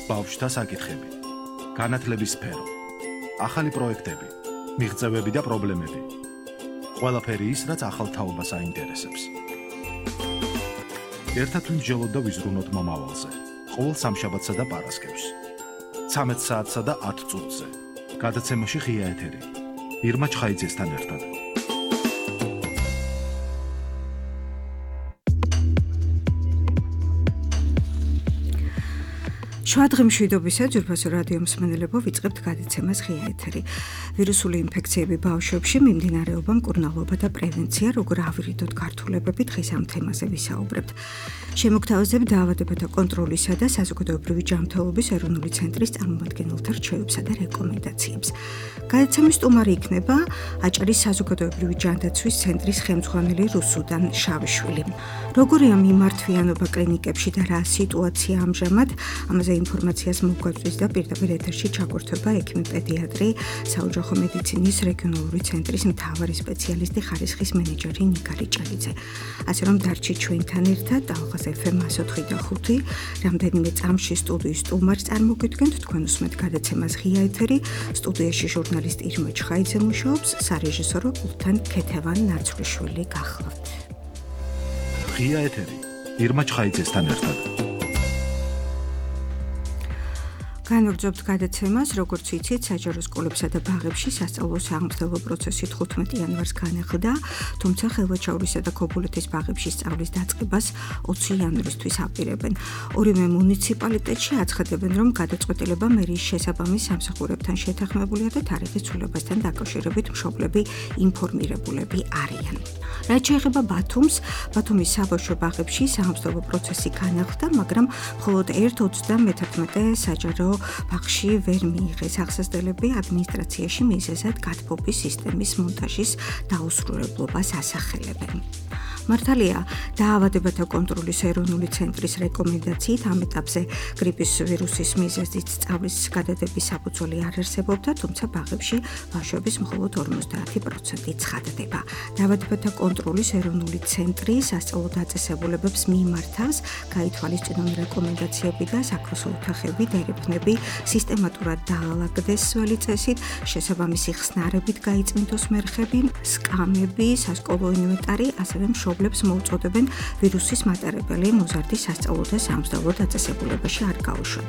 ბავშვთა საკითხები, განათლების სფერო, ახალი პროექტები, მიღწევები და პრობლემები. ყველაფერი ის, რაც ახალ თაობას აინტერესებს. ერთად ვიმსჯელოთ და ვიზრუნოთ მომავალზე. ყოველ სამშაბათსა და პარასკევს. 13 საათსა და 10 წუთზე. გადაცემაში ღია ეთერი. ირმა ჩხაიძესთან ერთად. შუადღე მშვიდობისა, ძვირფასო რადიო მსმენელებო, ვიწყებთ გადაცემას ღია ეთერი. ვირუსული ინფექციები ბავშვებში, მიმდინარეობა, მკურნალობა და პრევენცია, როგორ ავირიდოთ გართულებები, დღეს ამ თემაზე ვისაუბრებთ. შემოგთავაზებთ დაავადებათა კონტროლისა და საზოგადოებრივი ჯანმრთელობის ეროვნული ცენტრის წარმომადგენელთა რჩევებსა და რეკომენდაციებს. გადაცემის სტუმარი იქნება აჭარის საზოგადოებრივი ჯანდაცვის ცენტრის ხელმძღვანელი რუსუდან შავიშვილი. როგორია მიმართვიანობა კლინიკებში და რა სიტუაცია ამჟამად, ამაზე ინფორმაციას მოგვაწვდის და პირდაპირ ეთერში ჩაგვერთვება ექიმი-პედიატრი, საოჯახო მედიცინის რეგიონალური ცენტრის მთავარი სპეციალისტი, ხარისხის მენეჯერი ნიკა ლიჭალიძე. ასე რომ დარჩით ჩვენთან ერთად ალღაზ FM 104.5, რამდენიმე წამში სტუდიის სტუმარს წარმოგიდგენთ, თქვენ უსმენთ გადაცემას ღია ეთერი, სტუდიაში ჟურნალისტი ირმა ჩხაიძე მუშაობს, სარეჟისორო პულტთან ქეთევან ნაცვლიშვილი გახლავთ. ღია ეთერი, ირმა ჩხაიძესთან ერთად. განვაგრძობთ გადაცემას, როგორც იცით, საჯარო სკოლებსა და ბაღებში სასწავლო სამართლებო პროცესი 15 იანვარს განახლდა, თუმცა ხელვაჩაურისა და ქობულეთის ბაღებში სწავლის დაწყებას 20 იანვრისთვის აპირებენ. ორივე მუნიციპალიტეტში აცხადებენ, რომ გადაწყვეტილება მერიის შესაბამის სამსახურებთან შეთანხმებულია და თარიღის ცვლილებასთან დაკავშირებით მშობლები ინფორმირებულები არიან. რაც შეეხება ბათუმს, ბათუმის საბავშვო ბაღებში სამართლებო პროცესი განახლდა, მაგრამ მხოლოდ 1/31 საჯარო ბაღში ვერ მიიღეს აღსასწრებელი ადმინისტრაციაში მიზეზად გათბობის სისტემის მონტაჟის დაუსრულებლობას ასახელებენ. მართალია, დაავადებათა კონტროლის ეროვნული ცენტრის რეკომენდაციით ამ ეტაპზე გრიპის ვირუსის მიზეზით სწავლის გადადების საფუძველი არ არსებობდა, თუმცა ბაღებში ბავშვების მხოლოდ 50% ცხადდება. დაავადებათა კონტროლის ეროვნული ცენტრი სასწავლო დაწესებულებებს მიმართავს, გაითვალისწინონ რეკომენდაციები და საქოსო ოთახები, დერეფნები სისტემატურად დაალაგდეს სველი წესით, შესაბამისი ხსნარებით გაიწმინდოს მერხები, სკამები, სასკოლო ინვენტარი, ასევე მშობლებს მოუწოდებენ ვირუსის მატარებელი მოზარდი სასწავლო და სამსჯავრო დაწესებულებაში არ გაუშვან.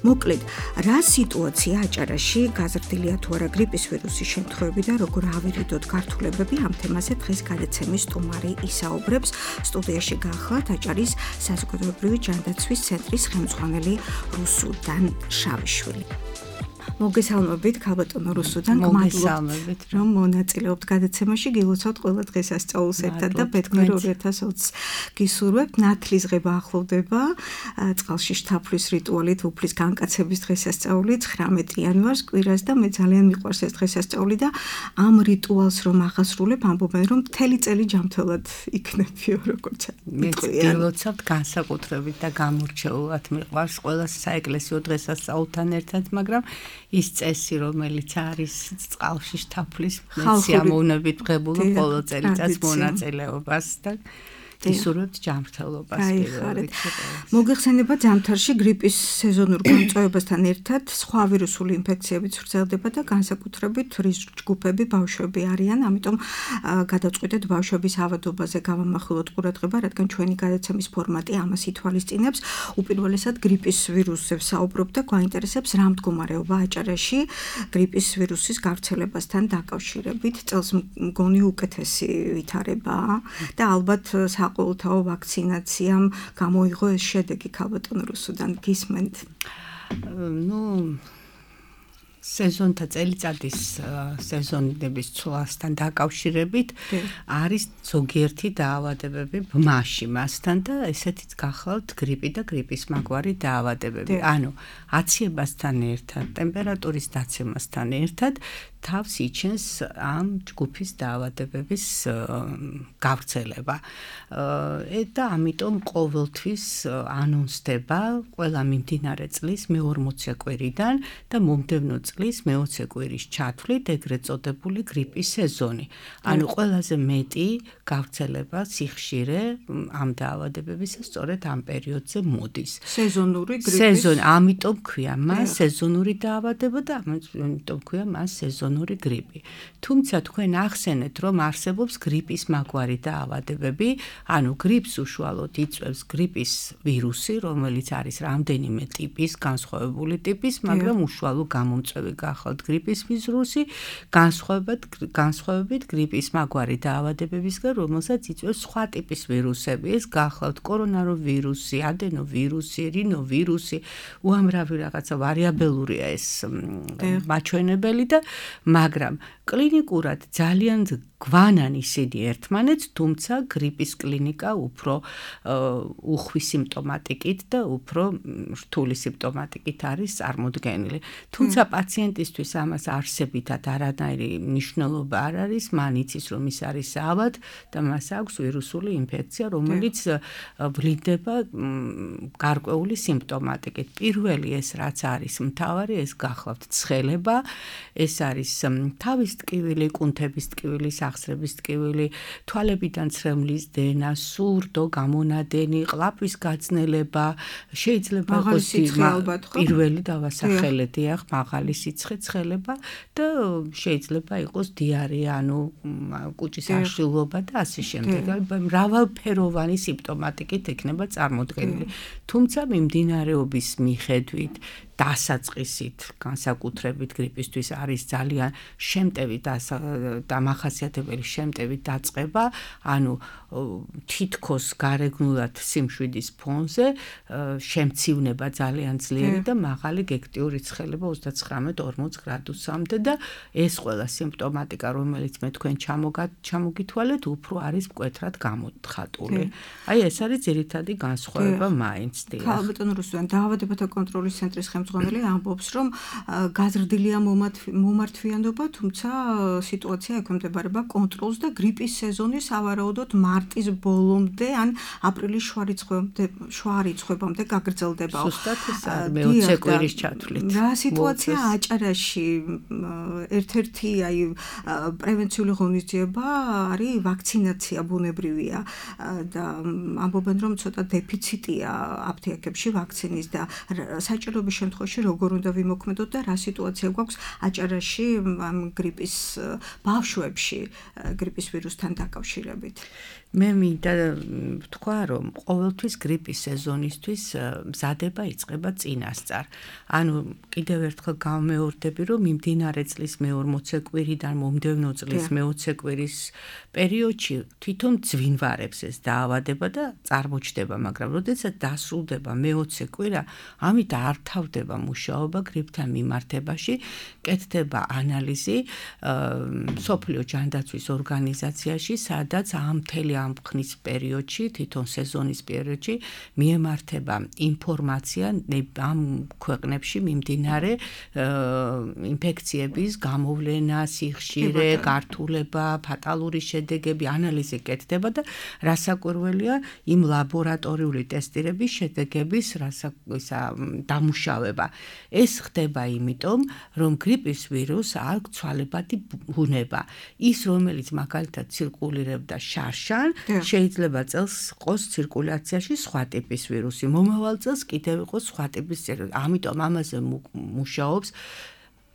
მოკლედ, რა სიტუაცია აჭარაში, გაზრდილია თუ არა გრიპის ვირუსის შემთხვევები და როგორ ავირიდოთ გართულებები, ამ თემაზე დღეს გადაცემის სტუმარი ისაუბრებს. სტუდიაში გახლავთ აჭარის საზოგადოებრივი ჯანდაცვის ცენტრის ხელმძღვანელი რუსუდან შავიშვილი. მოგესალმებით, ქალბატონო რუსუდან, მოგესალმებით, რომ მონაწილეობთ გადაცემაში, გილოცავთ ყველა დღესასწაულს ერთად და ბეთქნერ 2020 გისურვებთ. ნათლისღება ახლოვდება, წყალში შთაფრის რიტუალით უფლის განკაცების დღესასწაული 19 იანვარს კვირას და მე ძალიან მიყვარს ეს დღესასწაული და ამ რიტუალს რომ აღასრულებ, ამბობენ რომ მთელი წელი ჯანმრთელად იქნებიო, როგორც მე გილოცავთ განსაკუთრებით და გამორჩეულად მიყვარს ყველა საეკლესიო დღესასწაულთან ერთად, მაგრამ ის წესი, რომელიც არის წყალში შთაფლის სიამოვნებით ღებულობ ყოველ წელიწადს მონაწილეობას და ისურვებთ ჯანმრთელობას. მოგეხსენება ზამთარში გრიპის სეზონურ გამწვევებასთან ერთად სხვა ვირუსული ინფექციებიც ვრცელდება და განსაკუთრებით რისკ ჯგუფები ბავშვები არიან, ამიტომ გადავწყვიტეთ ბავშვების ავადობაზე გავამახვილოთ ყურადღება, რადგან ჩვენი გადაცემის ფორმატი ამას ითვალისწინებს. უპირველესად გრიპის ვირუსზე ვსაუბრობ და გვაინტერესებს რა მდგომარეობა აჭარაში გრიპის ვირუსის გავრცელებასთან დაკავშირებით. წელს მგონი უკეთესი ვითარებაა და ალბათ ყოველთაო ვაქცინაციამ გამოიღო ეს შედეგი, ქალბატონო რუსუდან, გისმენთ? სეზონთა წელიწადის სეზონების ცვლასთან დაკავშირებით არის ზოგიერთი დაავადებები ბმაში მასთან და ესეთიც გახლავთ გრიპი და გრიპის მაგვარი დაავადებები. ანუ აციებასთან ერთად, ტემპერატურის დაცემასთან ერთად თავს იჩენს ამ ჯგუფის დაავადებების გავრცელება. და ამიტომ ყოველთვის ანონსდება ყველა მიმდინარე წლის მე-40 კვირიდან და მომდევნო წლის მე-20 კვირის ჩათვლით ეგრეთ წოდებული გრიპის სეზონი. ანუ ყველაზე მეტი გავრცელება სიხშირე ამ დაავადებებისა სწორედ ამ პერიოდზე მოდის. სეზონური გრიპის ამიტომ ქვია მას სეზონური დაავადება და ამიტომ ქვია მას სეზონური გრიპი. თუმცა თქვენ ახსენეთ, რომ არსებობს გრიპის მაგვარი დაავადებები, ანუ გრიპს უშუალოდ იწვევს გრიპის ვირუსი, რომელიც არის რამდენიმე ტიპის, განსხვავებული ტიპის, მაგრამ უშუალო გამომწვევი გახლავთ გრიპის ვირუსი, განსხვავებით გრიპის მაგვარი დაავადებებისგან, რომელსაც იწვევს სხვა ტიპის ვირუსები, ეს გახლავთ კორონავირუსი, ადენოვირუსი, რინოვირუსი, უამრავი რაღაცა ვარიაბელურია ეს მაჩვენებელი და მაგრამ კლინიკურად ძალიან გვანან ისინი ერთმანეთს, თუმცა გრიპის კლინიკა უფრო უხვი სიმპტომატიკით და უფრო რთული სიმპტომატიკით არის წარმოდგენილი. თუმცა პაციენტისთვის ამას არსებითად არანაირი მნიშვნელობა არ არის, მან იცის, რომ ის არის ავად და მას აქვს ვირუსული ინფექცია, რომელიც ვლინდება გარკვეული სიმპტომატიკით. პირველი ეს რაც არის მთავარი, ეს გახლავთ ცხელება, ეს არის თავის ტკივილი, კუნთების ტკივილი, სახსრების ტკივილი, თვალებიდან ცრემლის დენა, სურდო, გამონადენი, ყლაპვის გაძნელება, შეიძლება იყოს პირველი დავასახელე, დიახ, მაღალი სიცხე ცხელება და შეიძლება იყოს დიარეა, ანუ კუჭის აშლილობა და ასე შემდეგ. მრავალფეროვანი სიმპტომატიკით იქნება წარმოდგენილი. თუმცა მიმდინარეობის მიხედვით დასაწყისით, განსაკუთრებით გრიპისთვის არის ძალიან შემტევი დამახასიათებელი შემტევი დაწყება, ანუ თითქოს გარეგნულად სიმშვიდის ფონზე შემცივნება ძალიან ძლიერი და მაღალი გექტიური ცხელება 39-40 გრადუსამდე და ეს ყველა სიმპტომატიკა, რომელიც მე თქვენ ჩამოგითვალეთ, უფრო არის მკვეთრად გამოხატული. აი ეს არის ძირითადი განსხვავება მაინც. ქალბატონ რუსლან, დაავადებათა კონტროლის ცენტრის ხელმძღვანელი ამბობს, რომ გაზრდილია მომართვიანობა, თუმცა სიტუაცია ექვემდებარება კონტროლს და გრიპის სეზონი სავარაუდოდ მარტის ბოლომდე ან აპრილის შუა რიცხვებამდე გაგრძელდება. ზუსტად ეს არის მე-20 კვირის ჩათვლით. რა სიტუაცია აჭარაში? ერთ-ერთი პრევენციული ღონისძიება არის ვაქცინაცია ბუნებრივია და ამბობენ, რომ ცოტა დეფიციტია აფთიაქებში ვაქცინის და საჭიროების შემთხვევაში როგორ უნდა ვიმოქმედოთ და რა სიტუაცია გვაქვს აჭარაში ამ გრიპის ბავშვებში გრიპის ვირუსთან დაკავშირებით. მე მინდა ვთქვა, რომ ყოველთვის გრიპის სეზონისთვის მზადება იწყება წინასწარ. ანუ კიდევ ერთხელ გამეორდები, რომ მიმდინარე წლის მე-40 კვირიდან მომდევნო წლის მე-20 კვირის პერიოდში თვითონ ძვინვარებს ეს დაავადება და წარმოჩდება, მაგრამ როდესაც დასრულდება მე-20 კვირა, ამით არ თავდება მუშაობა გრიპთან მიმართებაში, კეთდება ანალიზი მსოფლიო ჯანდაცვის ორგანიზაციაში, სადაც მთელი ამ ხნის პერიოდში, თვითონ სეზონის პერიოდში მიემართება ინფორმაცია ამ ქვეყნებში მიმდინარე ინფექციების გამოვლენა, სიხშირე, გართულება, ფატალური შედეგები, ანალიზი კეთდება და რასაკვირველია იმ ლაბორატორიული ტესტირების შედეგების დამუშავება. ეს ხდება იმიტომ, რომ გრიპის ვირუსს აქვს ცვალებადი ბუნება. ის, რომელიც მაგალითად ცირკულირებდა შარშან, შეიძლება წელს ყოს ცირკულაციაში სხვა ტიპის ვირუსი, მომავალ წელს კიდევ იყოს სხვა ტიპის ვირუსი. ამიტომ ამაზე მუშაობს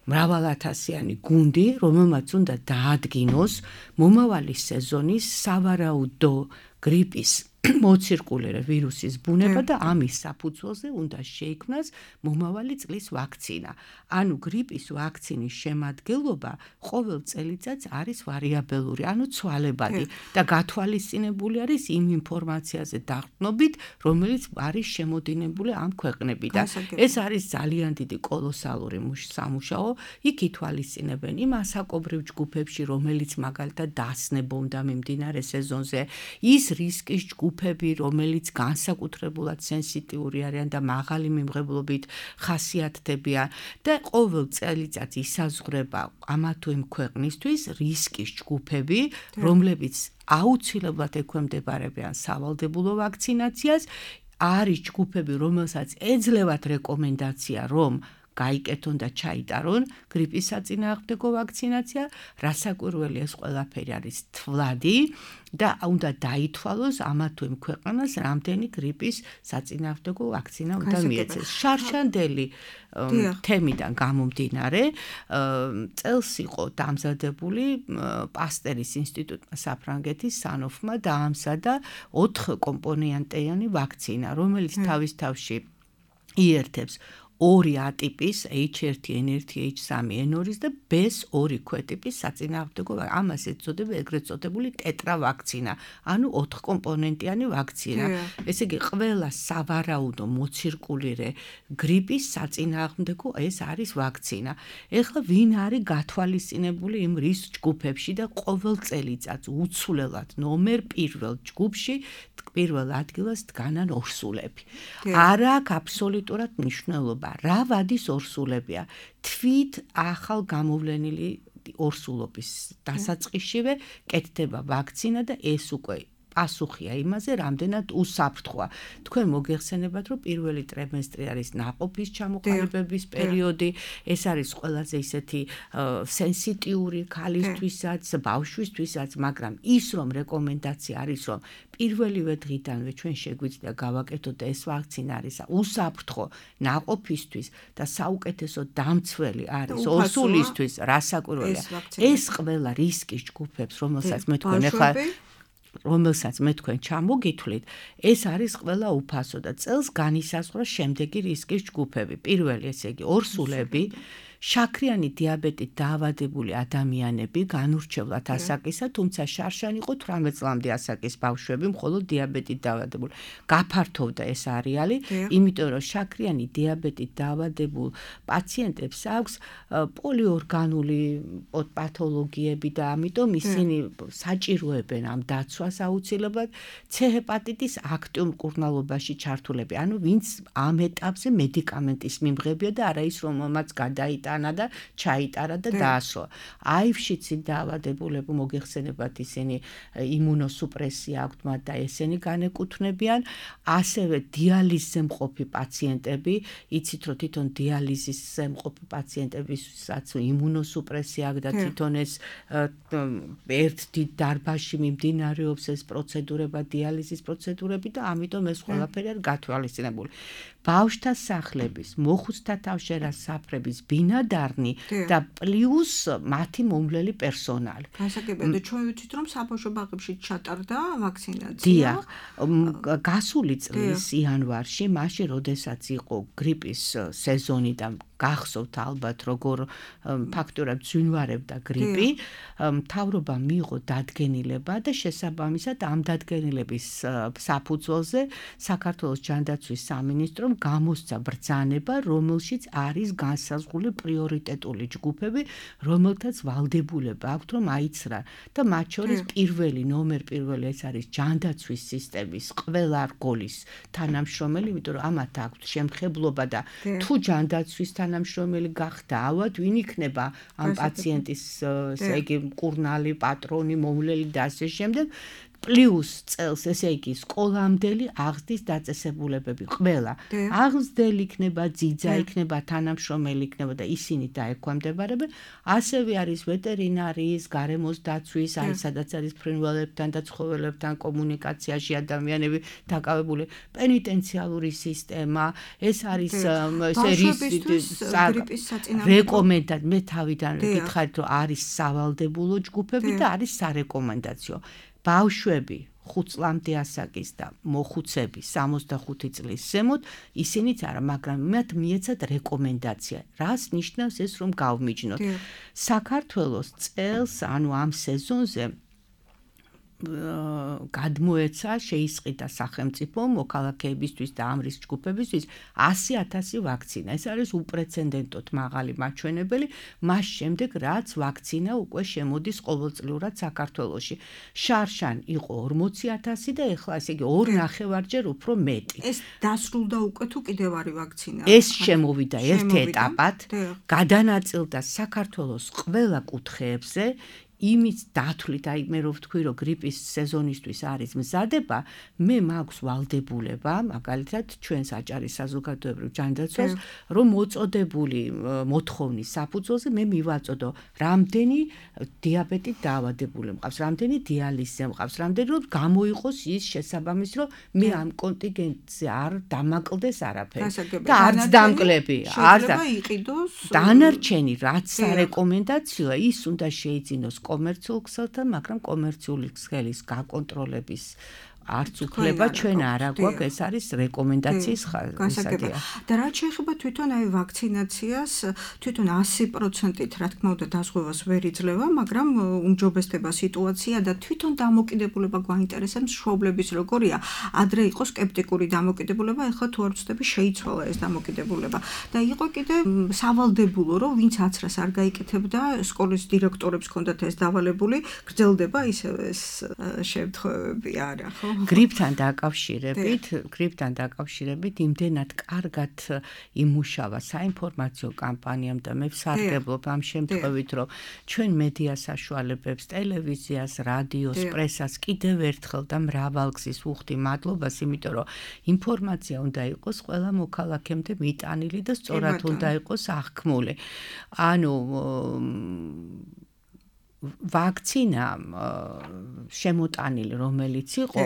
მრავალათასიანი გუნდი, რომელმაც უნდა დაადგინოს მომავალი სეზონის სავარაუდო გრიპის მოცირკულირე ვირუსის ბუნება და ამის საფუძველზე უნდა შეიქმნას მომავალი წლის ვაქცინა. ანუ გრიპის ვაქცინის შემადგენლობა ყოველ წელიწადს არის ვარიაბელური, ანუ ცვალებადი და გათვალისწინებული არის იმ ინფორმაციაზე დაყრდნობით, რომელიც არის შემოდინებული ამ ქვეყნებიდან. ეს არის ძალიან დიდი კოლოსალური სამუშაო. იქ ითვალისწინებენ იმ ასაკობრივ ჯგუფებში, რომელიც მაგალითად დასნებონდა მიმდინარე სეზონზე, ის რისკის ჯგუფ ჯგუფები, რომელიც განსაკუთრებულად სენსიტიური არიან და მაღალი მიმღებლობით ხასიათდებიან და ყოველ წელიწადს ისაზღვრება ამა თუ იმ ქვეყნისთვის რისკის ჯგუფები, რომლებიც აუცილებლად ექვემდებარებიან სავალდებულო ვაქცინაციას, არის ჯგუფები, რომელსაც ეძლევათ რეკომენდაცია, რომ გაიკეთონ და ჩაიტარონ გრიპის საწინააღმდეგო ვაქცინაცია, რასაკვირველი ეს ყველაფერი არის თვლადი და უნდა დაითვალოს ამა თუ იმ ქვეყანას რამდენი გრიპის საწინააღმდეგო ვაქცინა უნდა მიეცეს. შარშანდელი თემიდან გამომდინარე, წელს იყო დამზადებული პასტერის ინსტიტუტმა საფრანგეთის სანოფმა დაამზადა 4 კომპონენტიანი ვაქცინა, რომელიც თავის თავში იერთებს 2 ატიპის H1N1, H3, N2 და B2 ქვეტიპის საწინააღმდეგო, ამას ეწოდება ეგრეთ წოდებული ტეტრავაქცინა, ანუ 4 კომპონენტიანი ვაქცინა. ესე იგი, ყველა სავარაუდო მოცირკულირე გრიპის საწინააღმდეგო ეს არის ვაქცინა. ეხლა ვინ არის გათვალისწინებული იმ რისკ ჯგუფებში და ყოველ წელიწადს უცვლელად ნომერ 1 ჯგუფში პირველ ადგილას დგანან ორსულები. არ აქვს აბსოლუტურად მნიშვნელობა. რა ვადის ორსულებია? თვით ახალ გამოვლენილი ორსულობის დასაწყისშივე კეთდება ვაქცინა და ეს უკვე პასუხია იმაზე, რამდენად უსაფრთხოა. თქვენ მოგეხსენებათ, რომ პირველი ტრიმესტრი არის ნაყოფის ჩამოყალიბების პერიოდი, ეს არის ყველაზე ისეთი სენსიტიური ქალისთვისაც, ბავშვისთვისაც, მაგრამ ის რომ რეკომენდაცია არის, რომ პირველივე დღიდანვე ჩვენ შეგვიძლია გავაკეთოთ ეს ვაქცინა არის უსაფრთხო ნაყოფისთვის და საუკეთესო დამცველი არის ორსულისთვის, რასაკვირველია. ეს ყველა რისკის ჯგუფებს, რომელსაც მე თქვენ ჩამოგითვლით, ეს არის ყველა უფასო და წელს განისაზღვრა შემდეგი რისკის ჯგუფები. პირველი, ესე იგი, ორსულები, შაქრიანი დიაბეტით დაავადებული ადამიანები, განურჩევლად ასაკისა, თუმცა შარშან იყო 18 წლამდე ასაკის ბავშვები, მხოლოდ დიაბეტით დაავადებული. გაფართოვდა ეს არეალი, იმიტომ რომ შაქრიანი დიაბეტით დაავადებულ პაციენტებს აქვს პოლიორგანული პათოლოგიები და ამიტომ ისინი საჭიროებენ ამ დაცვას აუცილებლად C ჰეპატიტის აქტიურ მკურნალობაში ჩართულები, ანუ ვინც ამ ეტაპზე მედიკამენტის მიმღებია და არა ის რომელმაც გადაიტანა და ჩაიტარა და დაასროლა. აივშიცი დაავადებულები მოგეხსენებათ ისინი იმუნოსუპრესია აქვთ მათ და ესენი განეკუთვნებიან, ასევე დიალიზზე მყოფი პაციენტები, იცით რომ თვითონ დიალიზზე მყოფი პაციენტებისაც იმუნოსუპრესია აქვს და თვითონ ეს ერთ დიდ დარბაზში მიმდინარეობს ეს პროცედურება, დიალიზის პროცედურები და ამიტომ ეს ყველაფერი არის გათვალისწინებული. ბავშვთა სახლების, მოხუცთა თავშერას საფრების ბინადარნი და პლუს მათი მომვლელი პერსონალი. გასაგებია, ჩვენ ვიცით რომ საბავშვო ბაღებში ჩატარდა ვაქცინაცია. დიახ, გასული წლის იანვარში, მაშინ როდესაც იყო გრიპის სეზონი და გახსოვთ ალბათ როგორ ფაქტურად ძვინვარებდა გრიპი, მთავრობა მიიღო დადგენილება და შესაბამისად ამ დადგენილების საფუძველზე საქართველოს ჯანდაცვის სამინისტრომ გამოსცა ბრძანება, რომელშიც არის განსაზღვრული პრიორიტეტული ჯგუფები, რომელთაც ვალდებულება აქვთ რომ აიცრან და მათ შორის პირველი ნომერ პირველი ეს არის ჯანდაცვის სისტემის ყველა რგოლის თანამშრომელი, იმიტომ რომ ამათ აქვთ შემხებლობა და თუ ჯანდაცვის თანამშრომელი გახდა ავად, ვინ იქნება ამ პაციენტის ესე იგი მკურნალი, პატრონი, მომვლელი და ასე შემდეგ. პლუს წელს, ესე იგი, სკოლამდელი აღზრდის დაწესებულებები ყველა. აღზრდელი იქნება, ძიძა იქნება, თანამშრომელი იქნება და ისინი დაექვემდებარებიან. ასევე არის ვეტერინარიის, გარემოს დაცვის, აი სადაც არის ფრინველებთან და ცხოველებთან კომუნიკაციაში ადამიანები დაკავებული, პენიტენციალური სისტემა, ეს არის რეკომენდაცია. მე თავიდან გითხარით, რომ არის სავალდებულო ჯგუფები და არის სარეკომენდაციო. ბავშვები 5 წლამდე ასაკის და მოხუცები 65 წლის ზემოთ, ისინიც არა, მაგრამ მათ მიეცათ რეკომენდაცია. რას ნიშნავს ეს რომ გავმიჯნოთ? საქართველოს წელს, ანუ ამ სეზონზე გადმოეცა შეისყიდა სახელმწიფო მოქალაქეებისთვის და ამ რისკ ჯგუფებისთვის 100,000 ვაქცინა. ეს არის უპრეცედენტოდ მაღალი მაჩვენებელი, მას შემდეგ რაც ვაქცინა უკვე შემოდის ყოველწლიურად საქართველოში. შარშან იყო 40,000 და ეხლა ესე იგი 2.5-ჯერ უფრო მეტი. ეს დასრულდა უკვე თუ კიდევ არის ვაქცინა? ეს შემოვიდა ერთ ეტაპად, გადანაწილდა საქართველოს ყველა კუთხეებზე. იმის დათვლით, აი მე რო ვთქვი, რომ გრიპის სეზონისთვის არის მზადება, მე მაქვს ვალდებულება, მაგალითად, ჩვენ საჭარის საზოგადოებრივ ჯანდაცვას, რომ მოწოდებული მოთხოვნის საფუძველზე მე მივაწოდო, რამდენი დიაბეტით დაავადებული მყავს, რამდენი დიალიზზე მყავს, რამდენი რომ გამოიყოს ის შესაბამისი, რომ მე ამ კონტინგენტზე არ დამაკლდეს არაფერი და არც დამკლები, არც დანარჩენი რაც სარეკომენდაციოა, ის უნდა შეიძინოს კომერციულ ქსელთან, მაგრამ კომერციული ქსელის გაკონტროლების არც უფლება ჩვენ არ აგვაქვს, ეს არის რეკომენდაციის ხარისხია. და რაც შეეხება თვითონ აი ვაქცინაციას, თვითონ 100%-ით რა თქმა უნდა დაზღვევას ვერ იძლევა, მაგრამ უმჯობესდება სიტუაცია და თვითონ დამოკიდებულება გვაინტერესებს მშობლების როგორია. ადრე იყო სკეპტიკური დამოკიდებულება, ეხლა თუ არ ვცდები შეიცვალა ეს დამოკიდებულება. და იყო კიდე სავალდებულო, რომ ვინც აცრას არ გაიკეთებდა, სკოლის დირექტორებს ჰქონდათ ეს დავალებული, გრძელდება ისევ ეს შემთხვევები არა, ხო? გრიპთან დაკავშირებით იმდენად კარგად იმუშავა საინფორმაციო კამპანიამ და მე ვსარგებლობ ამ შემთხვევით, რომ ჩვენ მედია საშუალებებს, ტელევიზიას, რადიოს, პრესას კიდევ ერთხელ და მრავალგზის ვუხდი მადლობას, იმიტომ რომ ინფორმაცია უნდა იყოს ყველა მოქალაქემდე მიტანილი და სწორად უნდა იყოს აღქმული. ანუ ვაქცინა შემოტანილი რომელიც იყო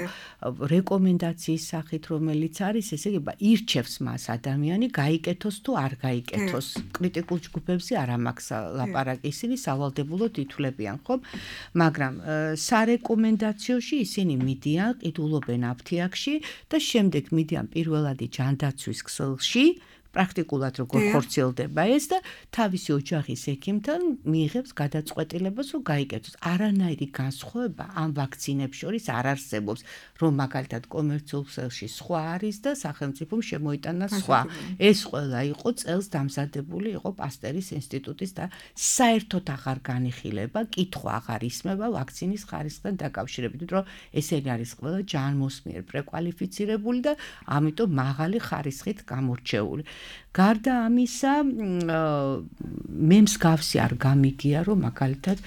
რეკომენდაციის სახით რომელიც არის ესე იგი ირჩევს მას ადამიანი გაიკეთოს თუ არ გაიკეთოს კრიტიკულ ჯგუფებზე არ ამაქვს ლაპარაკი ისინი სავალდებულოდ ითვლებიან ხომ მაგრამ სარეკომენდაციოში ისინი მიდიან ყიდულობენ აფთიაქში და შემდეგ მიდიან პირველადი ჯანდაცვის ქსელში პრაქტიკულად როგორ ხორციელდება ეს და თავისი ოჯახის ექიმთან მიიღებს გადაწყვეტილებას რომ გაიკეთოს. არანაირი განსხვავება ამ ვაქცინებს შორის არ არსებობს, რომ მაგალითად კომერციულ ქსელში სხვა არის და სახელმწიფომ შემოიტანა სხვა. ეს ყველა იყო წელს დამზადებული იყო პასტერის ინსტიტუტის და საერთოდ აღარ განიხილება, კითხვა აღარ ისმება ვაქცინის ხარისხთან დაკავშირებით, რომ ესენი არის ყველა ჯანმოსმიერ პრეკვალიფიცირებული და ამიტომ მაღალი ხარისხით გამორჩეული. გარდა ამისა, მე მსგავსი არ გამიგია, რომ მაგალითად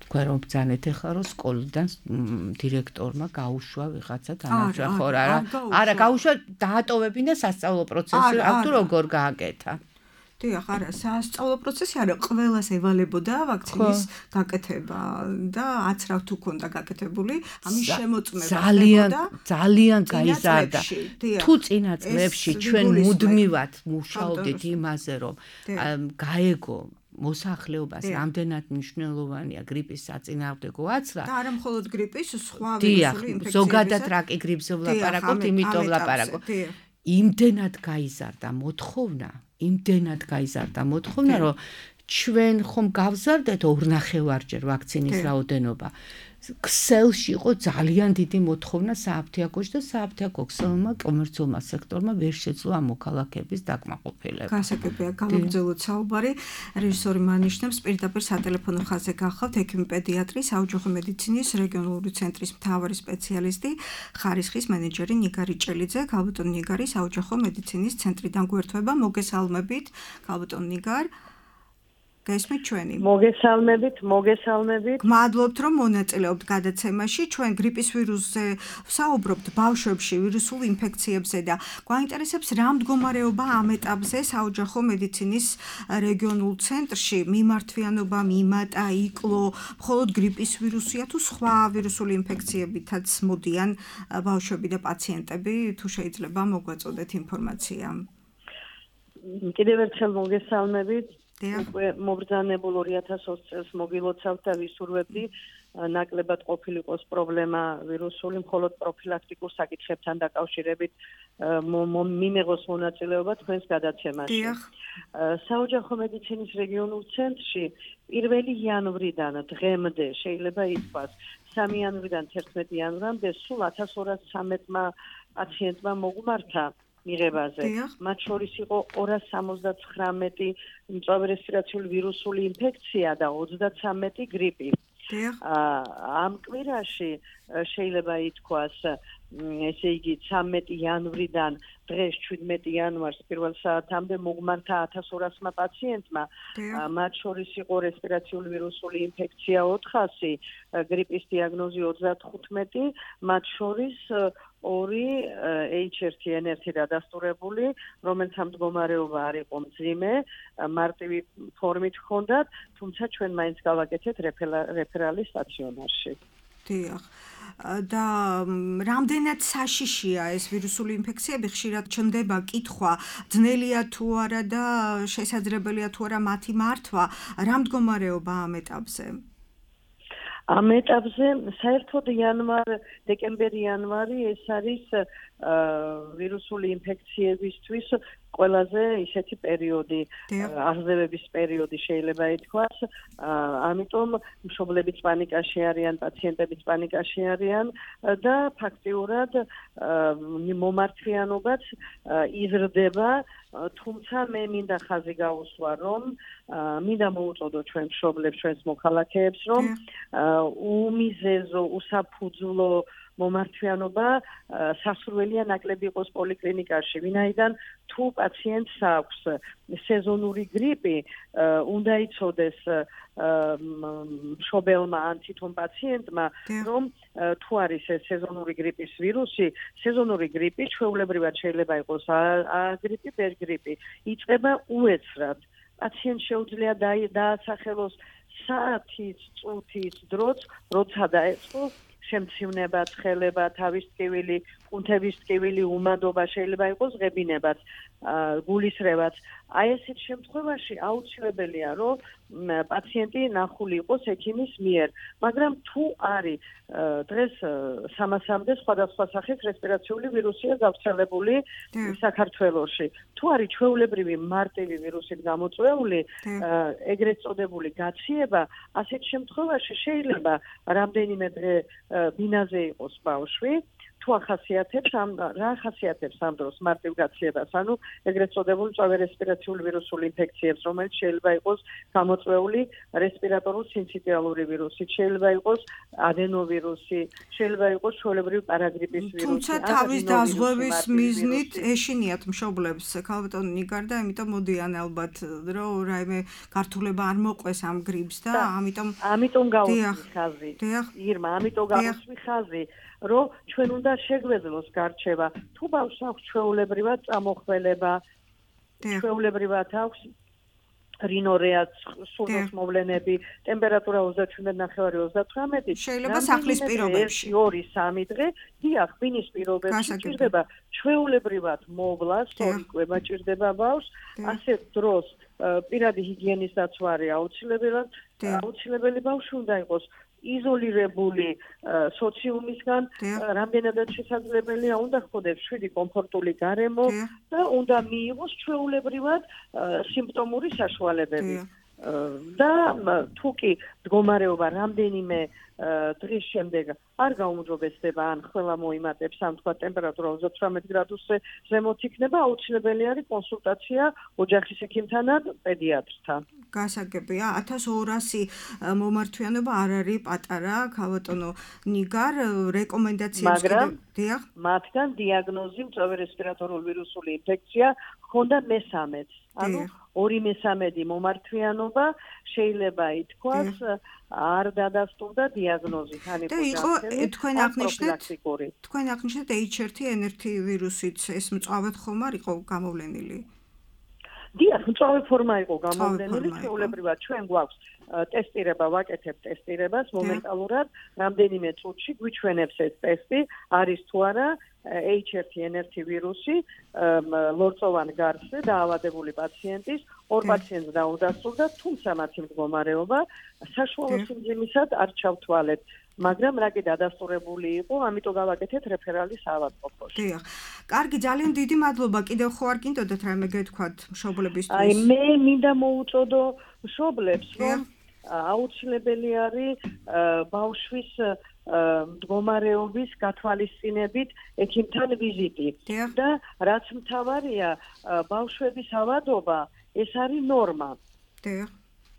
თქვენ რომ ბძანეთ ახლა რომ სკოლიდან დირექტორმა გაუშვა ვიღაცა თანაშრომელი ხო არა გაუშვა დაატოვებინა სასწავლო პროცესი თუ როგორ გააკეთა დიახ, არა, სასწავლო პროცესი არა, ყველას ევალებოდა ვაქცინის გაკეთება და აცრავ თუ ქონდა გაკეთებული, ამის შემოწმება ძალიან გაიზარდა. თუ წინა წლებში ჩვენ მუდმივად მუშაობდით იმაზე, რომ გაეგო მოსახლეობას რამდენად მნიშვნელოვანია გრიპის საწინააღმდეგო აცრა და არა მხოლოდ გრიპის, სხვა ვირუსული ინფექციების. ზოგადად რაკი გრიპზე ვლაპარაკობთ, იმიტომ ვლაპარაკობ. იმდენად გაიზარდა მოთხოვნა, რომ ჩვენ ხომ გავზარდეთ 2.5-ჯერ ვაქცინის რაოდენობა. ქსელში იყო ძალიან დიდი მოთხოვნა სააფთიაქოში და სააფთიაქო ქსელმა კომერციულმა სექტორმა ვერ შეძლო ამ მოქალაქეების დაკმაყოფილება. გასაგებია, გავაგრძელოთ საუბარი. რეჟისორი მანიშნებს პირდაპირ სატელეფონო ხაზზე გახლავთ ექიმი პედიატრი, საოჯახო მედიცინის რეგიონალური ცენტრის მთავარი სპეციალისტი, ხარისხის მენეჯერი ნიგარი ჭელიძე. ქალბატონ ნიგარი, საოჯახო მედიცინის ცენტრიდან გვერდება. მოგესალმებით, ქალბატონ ნიგარ. გესმით ჩვენი? მოგესალმებით. გმადლობთ, რომ მონაწილეობთ გადაცემაში. ჩვენ გრიპის ვირუსზე ვსაუბრობთ ბავშვებში, ვირუსულ ინფექციებზე და გვაინტერესებს რა მდგომარეობა ამ ეტაპზე საოჯახო მედიცინის რეგიონულ ცენტრში. მიმართვიანობა, მიმატა, იკლო, მხოლოდ გრიპის ვირუსია თუ სხვა ვირუსული ინფექციებითაც მოდიან ბავშვები და პაციენტები, თუ შეიძლება მოგვაწოდეთ ინფორმაცია. კიდევ ერთხელ მოგესალმებით. მობრძანებულ 2020 წელს მოგილოცავთ და ვისურვებდი ნაკლებად ყოფილიყოს პრობლემა ვირუსული, მხოლოდ პროფილაქტიკურ საკითხებთან დაკავშირებით მიმეღოს მონაწილეობა თქვენს გადაცემაში. საოჯახო მედიცინის რეგიონულ ცენტრში 1 იანვრიდან დღემდე შეიძლება ითქვას, 3 იანვრიდან 11 იანვრამდე სულ 1213 პაციენტმა მოგმართა მიღებაზე. მათ შორის იყო 279 მწვავე რესპირაციული ვირუსული ინფექცია და 33 გრიპი. ამ კვირაში შეიძლება ითქვას, ესე იგი 13 იანვრიდან დღეს 17 იანვარს პირველ საათამდე მოგმართა 1200 პაციენტმა, მათ შორის იყო რესპირაციული ვირუსული ინფექცია 400, გრიპის დიაგნოზი 35, მათ შორის 2 H1N1 დადასტურებული, რომელთა მდგომარეობა არ იყო მძიმე, მარტივი ფორმით ჰქონდათ, თუმცა ჩვენ მაინც გავაკეთეთ რეფერალი სტაციონარში. დიახ. და რამდენად საშიშია ეს ვირუსული ინფექციები? ხშირად ჩნდება კითხვა, ძნელია თუ არა და შესაძლებელია თუ არა მათი მართვა. რა მდგომარეობა ამ ეტაპზე? ამ ეტაპზე საერთოდ დეკემბერ-იანვარი ეს არის ვირუსული ინფექციებისთვის ყველაზე ისეთი პერიოდი, აღზევების პერიოდი შეიძლება ითქვას, ამიტომ მშობლებიც პანიკაში არიან, პაციენტებიც პანიკაში არიან და ფაქტიურად მომართვიანობაც იზრდება, თუმცა მე მინდა ხაზი გაუსვა, რომ მინდა მოუწოდო ჩვენ მშობლებს, ჩვენს მოქალაქეებს, რომ უმიზეზო, უსაფუძვლო მომართვიანობა სასურველია ნაკლები იყოს პოლიკლინიკაში, ვინაიდან თუ პაციენტს აქვს სეზონური გრიპი, უნდა იცოდეს მშობელმა ან თვითონ პაციენტმა, რომ თუ არის ეს სეზონური გრიპის ვირუსი, სეზონური გრიპი ჩვეულებრივად შეიძლება იყოს გრიპი, ბერგრიპი, იწყება უეცრად. პაციენტს შეუძლია დაასახელოს საათის, წუთის დროც, როცა დაეწყო შემცივნება, ცხელება, თავის ტკივილი, კუნთების ტკივილი, უმადობა, შეიძლება იყოს ღებინებაც, გულისრევაც. აი ესეთ შემთხვევაში აუცილებელია, რომ პაციენტი ნახული იყოს ექიმის მიერ, მაგრამ თუ არის დღეს 300-მდე სხვადასხვა სახის რესპირაციული ვირუსია გავრცელებული საქართველოში. თუ არის ჩვეულებრივი მარტივი ვირუსით გამოწვეული, ეგრეთ წოდებული გაციება, ასეთ შემთხვევაში შეიძლება რამდენიმე დღე ბინაზე იყოს ბავშვი, თუ ახასიათებს რა ახასიათებს ამ დროს მარტივ გაციებას, ანუ ეგრეთ წოდებული მწვავე რესპირაციული ვირუსული ინფექციებს, რომელიც შეიძლება იყოს გამოწვეული რესპირატორულ სინციტიალური ვირუსით, შეიძლება იყოს ადენოვირუსი, შეიძლება იყოს ჩვეულებრივი პარაგრიპის ვირუსი. თუმცა თავის დაზღვევის მიზნით ეშინიათ მშობლებს ქალბატონი ნიგარ და ამიტომ მოდიან ალბათ, რომ რაიმე გართულება არ მოყვეს ამ გრიპს და ამიტომ გავუსვი ხაზი. ირმა, ამიტომ გავუსვი ხაზი. რომ ჩვენ უნდა შეგვეძლოს გარჩევა. თუ ბავშვს აქვს ჩვეულებრივად წამოხველება, ჩვეულებრივად აქვს რინორეა, სურნოს მოვლენები, ტემპერატურა 37.9-38, შეიძლება სახლის პირობებში 2-3 დღე, დიახ, ბინის პირობებში ჭირდება ჩვეულებრივად მოვლა, სორიკვება ჭირდება ბავშვს, ასეთ დროს პირადი ჰიგიენის დაცვა არის აუცილებელი ბავშვი უნდა იყოს იზოლირებული სოციუმისგან, რამდენადაც შესაძლებელია უნდა ხდოს 7 კომფორტული გარემო და უნდა მიიღოს ჩვეულებრივად სიმპტომური საშუალებები. და თუ კი მდგომარეობა რამდენიმე დღის შემდეგ არ გაუმჯობესდება, ან ყველა მოიმატებს, ან თქვა ტემპერატურა 38 გრადუსზე ზემოთ იქნება, აუცილებელი არის კონსულტაცია ოჯახის ექიმთან ან პედიატრთან. გასაგებია, 1200 მომართვიანობა არ არის პატარა, ქალბატონო ნიგარ, რეკომენდაციებს მაგრამ მათგან დიაგნოზი მწვავე რესპირატორული ვირუსული ინფექცია ჰქონდა მე-13-ს. ანუ 2/3 მომართვიანობა შეიძლება ითქვას არ დადასტურდა დიაგნოზით, ან იყო თქვენ აღნიშნეთ H1N1 ვირუსით ეს მწვავედ ხომ არ იყო გამოვლენილი? დიახ, მწვავე ფორმა იყო გამოვლენილი, ჩვეულებრივად ჩვენ გვაქვს ტესტირება, ვაკეთებთ ტესტირებას, მომენტალურად რამდენიმე წუთში გვიჩვენებს ეს ტესტი, არის თუ არა H1N1 ვირუსი ლორწოვან გარსზე დაავადებული პაციენტის, 2 პაციენტს დაუდასტურდა, თუმცა მათი მდგომარეობა საშუალო სიმძიმისად არ ჩავთვალეთ. მაგრამ რაკი დადასტურებული იყო, ამიტომ გავაკეთეთ რეფერალი საავადმყოფოში. დიახ. კარგი, ძალიან დიდი მადლობა. კიდევ ხო არ გინდოდათ რაიმე გეთქვათ მშობლებისთვის? აი, მე მინდა მოუწოდო მშობლებს, რომ აუცილებელი არის ბავშვის მდგომარეობის გათვალისწინებით ექიმთან ვიზიტი და რაც მთავარია ბავშვების ავადობა ეს არის ნორმა.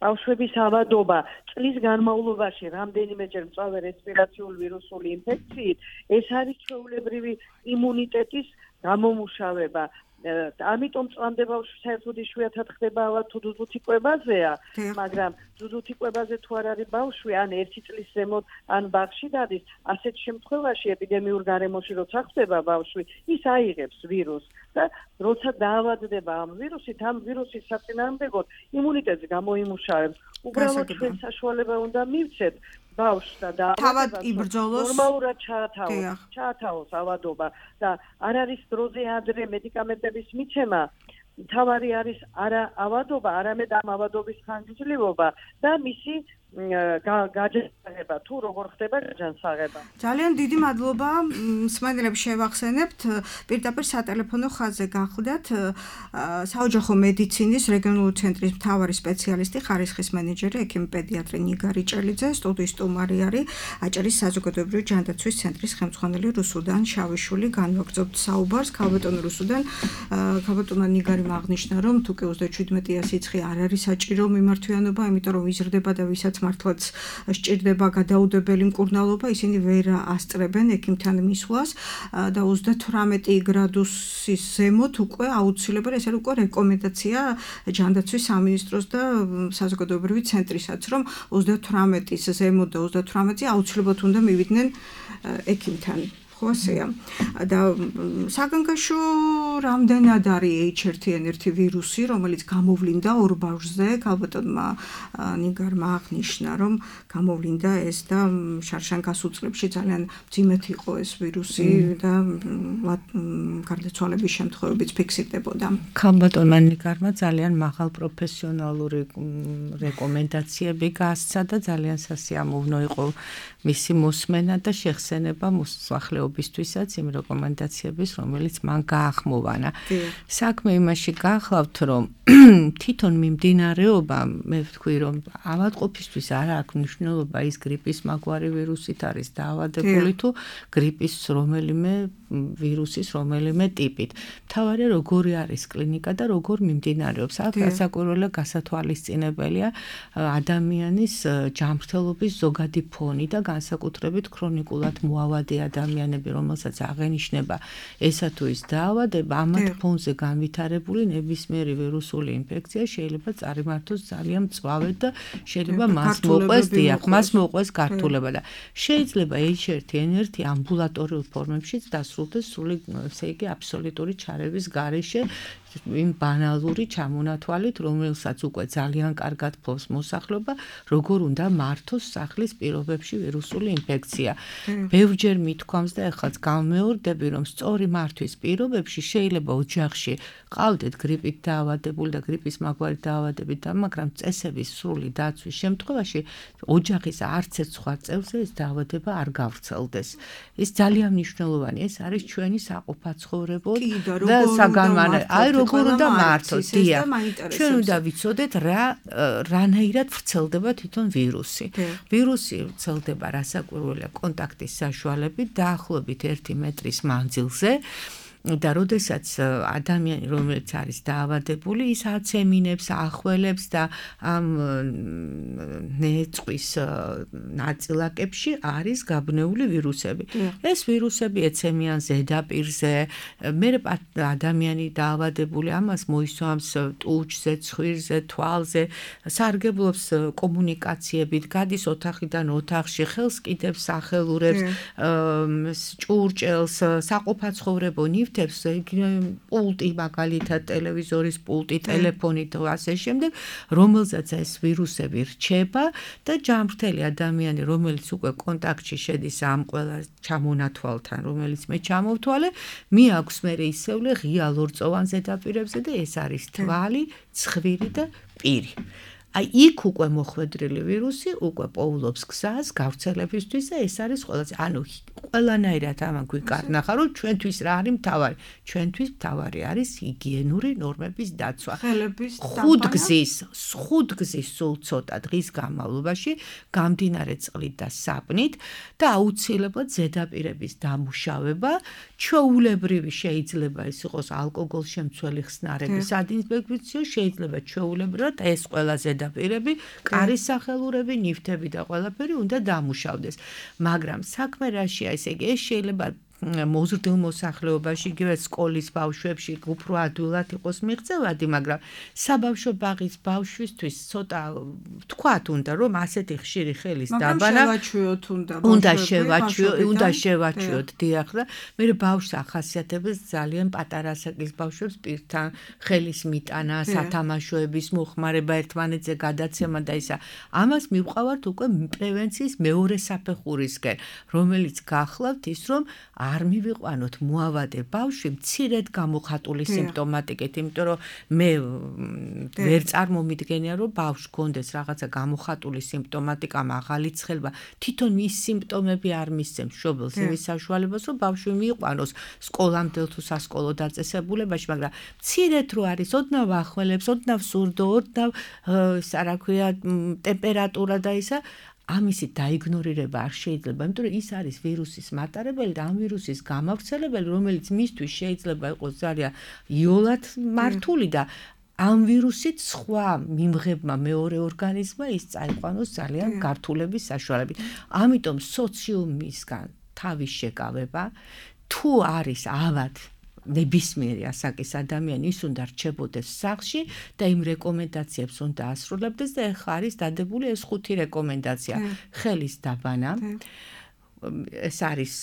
ბავშვების ავადობა წლის განმავლობაში რამდენიმეჯერ მწვავე რესპირაციული ვირუსული ინფექციით ეს არის ჩვეულებრივი იმუნიტეტის გამომუშავება. ამიტომ წლამდე ბავშვი საერთოდ იშვიათად ხდება ავად თუ ძუძუთი კვებაზეა, მაგრამ ძუძუთი კვებაზე თუ არ არის ბავშვი, ან 1 წლის ზემოთ, ან ბაღში დადის, ასეთ შემთხვევაში ეპიდემიურ გარემოში როცა ხდება ბავშვი, ის აიღებს ვირუსს და როცა დაავადდება ამ ვირუსით, ამ ვირუსის საწინააღმდეგოდ იმუნიტეტს გამოიმუშავებს. უბრალოდ ჩვენ საშუალება უნდა მივცეთ ბავშვს და თავად იბრძოლოს ნორმალურად ჩაათავოს ავადობა და არ არის დროზე ადრე მედიკამენტების მიცემა. თავარი არის არა ავადობა, არამედ ამ ავადობის ხანგრძლივობა და მისი გაჯანსაღება თუ როგორ ხდება გაჯანსაღება. ძალიან დიდი მადლობა. მსმენელებს შევახსენებთ, პირდაპირ სატელეფონო ხაზზე გახლდათ საოჯახო მედიცინის რეგიონული ცენტრის მთავარი სპეციალისტი, ხარისხის მენეჯერი, ექიმი პედიატრი ნიგა რიჭელიძე, სტუდიის სტუმარი არის აჭარის საზოგადოებრივი ჯანდაცვის ცენტრის ხელმძღვანელი რუსუდან შავიშვილი. განვაგრძობთ საუბარს ქალბატონი რუსუდან. ქალბატონმა ნიგარიმ აღნიშნა, რომ თუ კი 37-ია სიცხე არ არის საჭირო მიმართვიანობა, იმიტომ რომ ვიზრდება და ვისაც მართლაც სჭირდება გადაუდებელი მკურნალობა, ისინი ვერ ასწრებენ ექიმთან მისვლას და 38 გრადუსის ზემოთ უკვე აუცილებელი, ეს არის უკვე რეკომენდაცია ჯანდაცვის სამინისტროს და საზოგადოებრივი ცენტრისაც, რომ 38-ის ზემოთ და 38-ზე აუცილებლად უნდა მივიდნენ ექიმთან. ხოსია და საგანგაშო რამდენად არის H1N1 ვირუსი, რომელიც გამოვლინდა ორ ბავშვზე, ქალბატონმა ნიგარმა აღნიშნა, რომ გამოვლინდა ეს და შარშან გასუწლებში ძალიან მძიმედ იყო ეს ვირუსი და გარდაცვალების შემთხვევებიც ფიქსირდებოდა. ქალბატონმა ნიგარმა ძალიან მაღალ პროფესიონალური რეკომენდაციები გასცა და ძალიან სასიამოვნო იყო მისი მოსმენა და შეხსენება მოსახლეობისთვისაც იმ რეკომენდაციების, რომელიც მან გაახმოვანა. საქმე იმაში გახლავთ, რომ თვითონ მიმდინარეობა, მე ვთქვი, რომ ავადყოფისთვის არ აქვს მნიშვნელობა ის გრიპის მაგვარი ვირუსით არის დაავადებული თუ გრიპის რომელიმე ვირუსის რომელიმე ტიპით. მთავარია როგორი არის კლინიკა და როგორ მიმდინარეობს. აქ გასაკვირველია გასათვალისწინებელია ადამიანის ჯანმრთელობის ზოგადი ფონი და განსაკუთრებით ქრონიკულად მოავადი ადამიანები, რომელსაც აღენიშნება ესა თუ ის დაავადება, ამათ ფონზე განვითარებული ნებისმიერი ვირუსული ინფექცია შეიძლება წარიმართოს ძალიან მწვავედ და შეიძლება მას მოყვეს გართულება და შეიძლება H1N1 ამბულატორიულ ფორმებშიც დასრულდეს სრული, ესე იგი, აბსოლუტური ჩარევის გარეშე იმ ბანალური ჩამონათვალით, რომელსაც უკვე ძალიან კარგად ფლობს მოსახლეობა, როგორ უნდა მართოს სახლის პირობებში ვირუსული ინფექცია. ბევრჯერ მithქვამს და ეხლაც გამეორდები, რომ სწორი მართვის პირობებში შეიძლება ოჯახში ყავდეთ გრიპით დაავადებული და გრიპის მაგვარი დაავადებით და მაგრამ წესების სრული დაცვის შემთხვევაში ოჯახის არც ერთ სხვა წევრზე ეს დაავადება არ გავრცელდეს. ეს ძალიან მნიშვნელოვანია, ეს არის ჩვენი საყოფაცხოვრებო და საგანმანათლებლო როგორ უნდა მართოს, დიახ. ჩვენ უნდა ვიცოდეთ რანაირად ვრცელდება თვითონ ვირუსი. ვირუსი ვრცელდება რასაკვირველია კონტაქტის საშუალებით დაახლოებით 1 მეტრის მანძილზე. და როდესაც ადამიანი რომელიც არის დაავადებული ის აცემინებს, ახველებს და ამ ნეწვის ნაწილაკებში არის გაბნეული ვირუსები. ეს ვირუსები ეცემიან ზედაპირზე, მე ადამიანი დაავადებული ამას მოისვამს ტუჩზე, ცხვირზე, თვალზე, სარგებლობს კომუნიკაციებით, გადის ოთახიდან ოთახში, ხელს კიდევს, სახელურებს, ჭურჭელს, საყოფაცხოვრებო პულტი, მაგალითად ტელევიზორის პულტი, ტელეფონი და ასე შემდეგ, რომელზეც ეს ვირუსები რჩება და ჯანმრთელი ადამიანი, რომელიც უკვე კონტაქტში შედის ამ ყველა ჩამონათვალთან, რომელიც მე ჩამოვთვალე, მიაქვს მე ისევლე ღია ლორწოვან ზედაპირებზე და ეს არის თვალი, ცხვირი და პირი. აი იქ უკვე მოხვედრილი ვირუსი უკვე პოულობს გზას გავრცელებისთვის და ეს არის ყველაზე ანუ ყველანაირად ამან გვიკარნახა რომ ჩვენთვის რა არის მთავარი ჩვენთვის მთავარი არის ჰიგიენური ნორმების დაცვა ხუთგზის სულ ცოტა დღის განმავლობაში გამდინარე წყლით და საპნით და აუცილებლად ზედაპირების დამუშავება ჩვეულებრივი შეიძლება ის იყოს ალკოგოლშემცველი ხსნარების სადინფექციო შეიძლება ჩვეულებრივად ეს ყველა ზედაპირები კარის სახელურები ნივთები და ყველაფერი უნდა დამუშავდეს მაგრამ საქმე რაშია ესე იგი ეს შეიძლება მოზრდილ მოსახლეობაში იგივე სკოლის ბავშვებში უფრო ადვილად იყოს მიღწევადი მაგრამ საბავშვო ბაღის ბავშვისთვის ცოტა თქვათ უნდა რომ ასეთი ხშირი ხელის დაბანა უნდა შევაჩვიოთ დიახ და მე ბავშვს ახასიათებს ძალიან პატარა ასაკის ბავშვებს პირთან ხელის მიტანა სათამაშოების მოხმარება ერთმანეთზე გადაცემა და ისა ამას მივყავართ უკვე პრევენციის მეორე საფეხურისკენ რომელიც გახლავთ ის რომ არ მივიყვანოთ მოავადე ბავშვი მცირედ გამოხატული სიმპტომატიკით, იმიტომ რომ მე ვერ წარმომიდგენია რომ ბავშვს გქონდეს რაღაცა გამოხატული სიმპტომატიკა, მაღალი ცხელება, თვითონ ის სიმპტომები არ მისცემს მშობელს იმის საშუალებას, რომ ბავშვი მიიყვანოს სკოლამდელ თუ სასკოლო დაწესებულებაში, მაგრამ მცირედ რო არის, ოდნავ ახველებს, ოდნავ სურდო, ოდნავ რა ქვია ტემპერატურა და ისა ამისი დაიგნორირება არ შეიძლება, იმიტომ რომ ის არის ვირუსის მატარებელი და ამ ვირუსის გამავრცელებელი, რომელიც მისთვის შეიძლება იყოს ძალიან იოლად მართული და ამ ვირუსით სხვა მიმღებმა მეორე ორგანიზმმა ის წაიყვანოს ძალიან გართულების საშუალებით. ამიტომ სოციუმისგან თავის შეკავება თუ არის ავად ნებისმიერი ასაკის ადამიანი ის უნდა რჩებოდეს სახლში და იმ რეკომენდაციებს უნდა ასრულებდეს და ეხლა არის დადებული ეს 5 რეკომენდაცია ხელის დაბანა ეს არის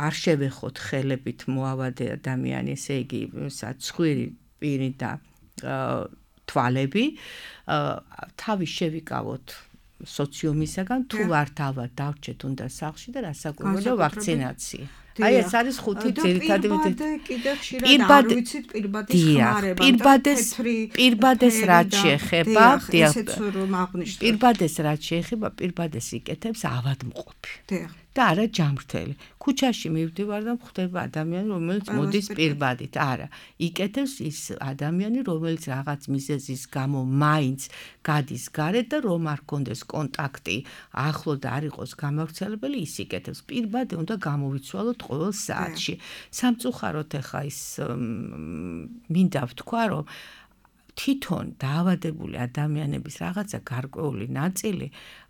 არ შევეხოთ ხელებით მოავადე ადამიანი ესე იგი ცხვირი პირი და თვალები თავის შევიკავოთ სოციუმისაგან თუ ვართ ავად დავრჩეთ უნდა სახლში და რასაკვირველია ვაქცინაცია აი ეს არის 5 ძირითადი კიდე ხშირად არ ვიცით პირბადის ხმარება პირბადეს რაც შეეხება ესეც რომ აღნიშნოთ პირბადეს რაც შეეხება პირბადეს იკეთებს ავადმყოფი და არა ჯამრთელი ქუჩაში მივდივარ და ხვდება ადამიანი რომელიც მოდის პირბადით არა იკეთებს ის ადამიანი რომელიც რაღაც მიზეზის გამო მაინც გადის გარეთ და რომ არ კონდეს კონტაქტი ახლო და არ იყოს გამავრცელებელი ის იკეთებს პირბადი უნდა გამოვიცვალოთ ყოველ საათში სამწუხაროდ ახლა ის მინდა ვთქვა რომ თვითონ დაავადებული ადამიანების რაღაცა გარკვეული ნაწილი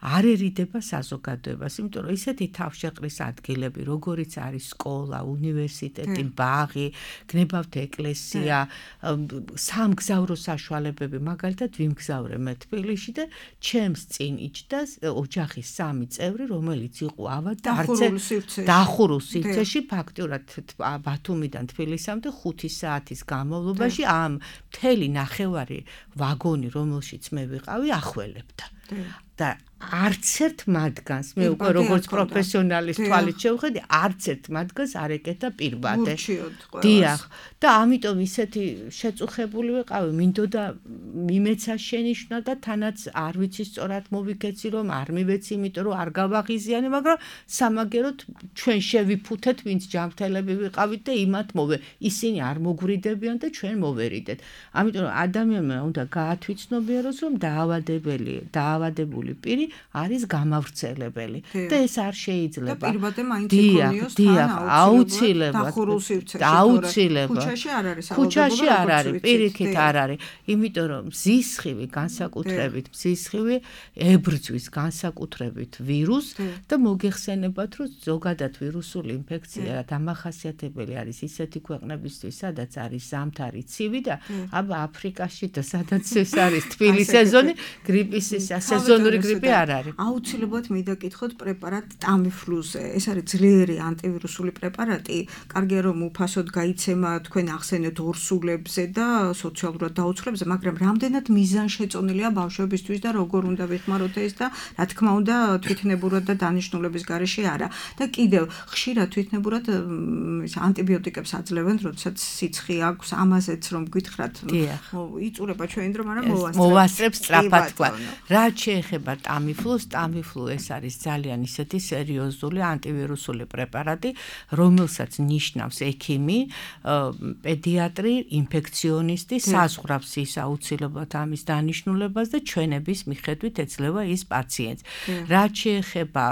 არ ერიდება საზოგადოებას, იმიტომ რომ ისეთი თავშეყრის ადგილები, როგორიც არის სკოლა, უნივერსიტეტი, ბაღი, გნებავთ ეკლესია, სამგზავრო საშუალებები, მაგალითად ვიმგზავრე მე თბილისში და ჩემს წინ იჯდა ოჯახის 3 წევრი, რომელიც იყო ავად და დახურულ სივრცეში, ფაქტურად ბათუმიდან თბილისამდე 5 საათის განმავლობაში ამ მთელი ნახევარი ვაგონი, რომელშიც მე ვიყავი, ახველებდა. და არც ერთ მათგანს მე უკვე როგორც პროფესიონალის თვალით შევხედი, არც ერთ მათგანს არ ეკეთა პირბადე. დიახ, და ამიტომ ისეთი შეწუხებული ვიყავი, მინდოდა მიმეცა შენიშვნა და თანაც არ ვიცი სწორად მოვიქეცი რომ არ მივეცი, იმიტომ რომ არ გავაღიზიანე, მაგრამ სამაგეროდ ჩვენ შევიფუთეთ, ვინც ჯამრთელები ვიყავით და იმათ მოვე. ისინი არ მოგვრიდებიან და ჩვენ მოვერიდეთ. ამიტომ ადამიანმა უნდა გაათვითცნობიეროს, რომ დაავადებული პირი არის გამავრცელებელი და ეს არ შეიძლება. და პირბადე მაინც იქონიოს თან აუცილებლად. ქუჩაში არ არის, პირიქით არ არის. იმიტომ რომ მზისხივი განსაკუთრებით მზისხივი ებრძვის განსაკუთრებით ვირუსს და მოგეხსენებათ რომ ზოგადად ვირუსული ინფექცია დამახასიათებელი არის ისეთი ქვეყნებისთვის, სადაც არის ზამთარი ცივი და აბა აფრიკაში და სადაც ეს არის თბილი სეზონი, გრიპის სეზონური გრიპი არ არის. აუცილებლად მინდა გითხოთ პრეპარატ ტამიფლუზე. ეს არის ძლიერი ანტივირუსული პრეპარატი. კარგია რომ უფასოდ გაიცემა თქვენ ახსენეთ ორსულებზე და სოციალურად დაუცხრებზე, მაგრამ რამდენად მიზანშეწონილია ბავშვებისთვის და როგორ უნდა ვიხმაროთ ეს და რა თქმა უნდა თვითნებურად და დანიშნულების გარეშე არა. და კიდევ ხშირად თვითნებურად ანტიბიოტიკებს აძლევენ, როდესაც სიცხე აქვს, ამაზეც რომ გითხრათ, იწურება ჩვენი დრო, მაგრამ მოვასწრებს სწრაფად თქვა. რაც შეეხება ტამიფლუს, ტამიფლუ ეს არის ძალიან ისეთი სერიოზული ანტივირუსული პრეპარატი, რომელსაც ნიშნავს ექიმი, პედიატრი, ინფექციონისტი, საზღვრავს ის აუცილებლად ამის დანიშნულებას და ჩვენების მიხედვით ეძლევა ის პაციენტს. რაც შეეხება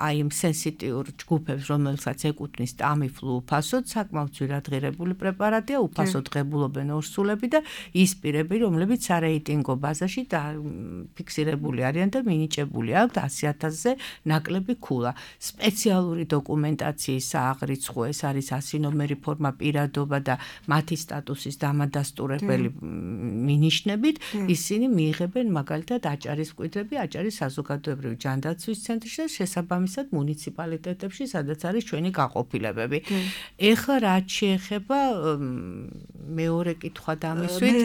აი იმ სენსიტიურ ჯგუფებს, რომელსაც ეკუთვნის ტამიფლუ უფასოდ, საკმაოდ ძვირადღირებული პრეპარატია, უფასოდ ღებულობენ ორსულები და ის პირები, რომლებიც სარეიტინგო ბაზაში ფიქსირებული არიან და მინიჭებული აქვთ 100,000-ზე ნაკლები ქულა. სპეციალური დოკუმენტაციის სააღრიცხვო ეს არის 100 ნომერი ფორმა პირადობა და მათი სტატუსის დამადასტურებელი მინიშნებით, ისინი მიიღებენ მაგალითად აჭარის მკვიდრები აჭარის საზოგადოებრივი ჯანდაცვის ცენტრში და შესაბამისად მუნიციპალიტეტებში, სადაც არის ჩვენი გაყოფილებები. ეხლა რაც შეეხება მეორე კითხვა დამისვით,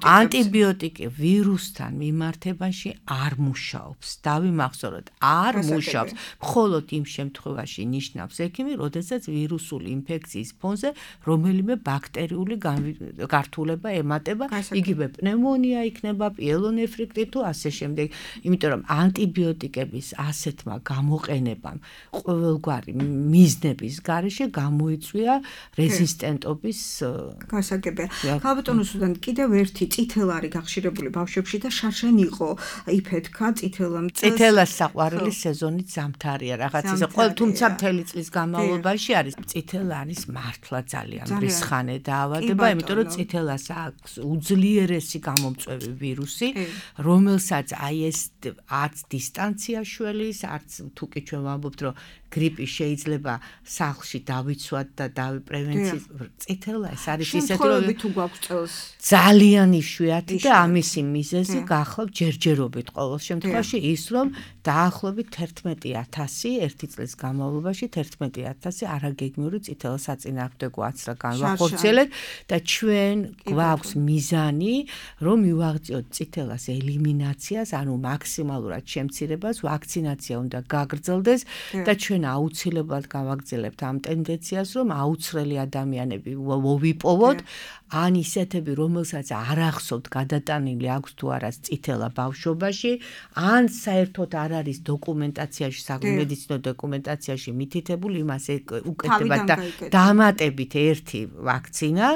ანტიბიოტიკი ვირუსთან მიმართებაში არ მუშაობს. დავიმახსოვროთ, არ მუშაობს. მხოლოდ იმ შემთხვევაში ნიშნავს ექიმი, როდესაც ვირუსული ინფექციის ფონზე რომელიმე ბაქტერიული გართულება ემატება, იგივე პნევმონია იქნება, პიელონეფრიტი თუ ასე შემდეგ. იმიტომ რომ ანტიბიოტიკების ასეთმა გამოყენებამ ყოველგვარი მიზნების გარეშე გამოიწვია რეზისტენტობის გასაგებია. ქალბატონოსთან კიდევ ერთი წითელარი გახშირებული ბავშვებში და შარშან იყო იფეთქა წითელას საყვარელი სეზონით ზამთარია რაღაც ისე თუმცა მთელი წლის განმავლობაში არის წითელარის მართლა ძალიან ბრისხანე დაავადება, იმიტომ რომ წითელას აქვს უძლიერესი გამომწვევი ვირუსი, რომელსაც აი ეს არც დისტანცია შველის, არც თუკი ჩვენ ვამბობთ რომ გრიპი შეიძლება სახლში დავიცვათ და პრევენციის წითელა ეს არის ისეთი რომ თუ გვაქვს წელს ძალიან იშვიათი და ამისი მიზეზი გახლავთ ჯერჯერობით ყოველ შემთხვევაში ის რომ დაახლოებით 11,000 ერთი წლის განმავლობაში 11,000 არაგეგმიური წითელა საწინააღმდეგო აცრა განვახორციელეთ და ჩვენ გვაქვს მიზანი რომ მივაღწიოთ წითელას ელიმინაციას, ანუ მაქსიმალურად შემცირებას, ვაქცინაცია უნდა გაგრძელდეს და ჩვენ აუცილებლად გავაგრძელებთ ამ ტენდენციას, რომ აუცრელი ადამიანები ვიპოვოთ, ან ისეთები, რომელსაც არ ახსოვთ გადატანილი აქვს თუ არა წითელა ბავშვობაში, ან საერთოდ არ არის დოკუმენტაციაში, სამედიცინო დოკუმენტაციაში მითითებული, იმას უკეთებად და დამატებით ერთი ვაქცინა,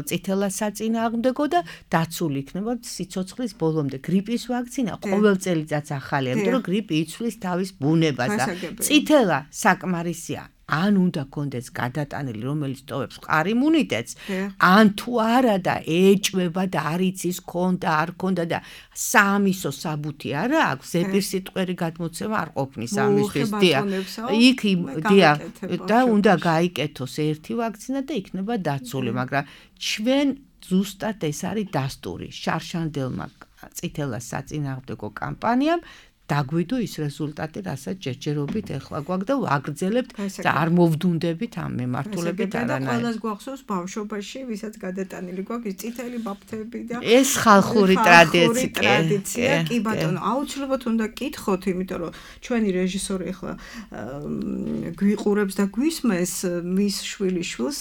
წითელა საწინააღმდეგო და დაცული იქნება სიცოცხლის ბოლომდე. გრიპის ვაქცინა ყოველ წელიწადს ახალია, იმიტომ რომ გრიპი იცვლის თავის ბუნებას და წითელა საკმარისია. ან უნდა კონდეს გადატანილი, რომელიც ტოვებს მყარ იმუნიტეტს, ან თუ არა და ეჭვება და არ იცის ქონდა, არ ქონდა და საამისო საბუთი არა აქვს, ზეპირსიტყვერი გადმოცემა არ ყოფნის ამისთვის, იქ და უნდა გაიკეთოს ერთი ვაქცინა და იქნება დაცული, მაგრამ ჩვენ ზუსტად ეს არის დასტური შარშანდელმა წითელას საწინააღმდეგო კამპანიამ დაგვიდო ის რეზულტატი, რასაც ჯერჯერობით ეხლა გვაქვს და ვაგრძელებთ და არ მოვდუნდებით ამ მიმართულებით არანაირად. და ყველას გვახსოვს ბავშვობაში, ვისაც გადატანილი გვაქვს ის წითელი ბაფთები და ეს ხალხური ტრადიცია. კი ბატონო, აუცილებლად უნდა გკითხოთ, იმიტომ რომ ჩვენი რეჟისორი ეხლა გვიყურებს და გვისმენს, მის შვილიშვილს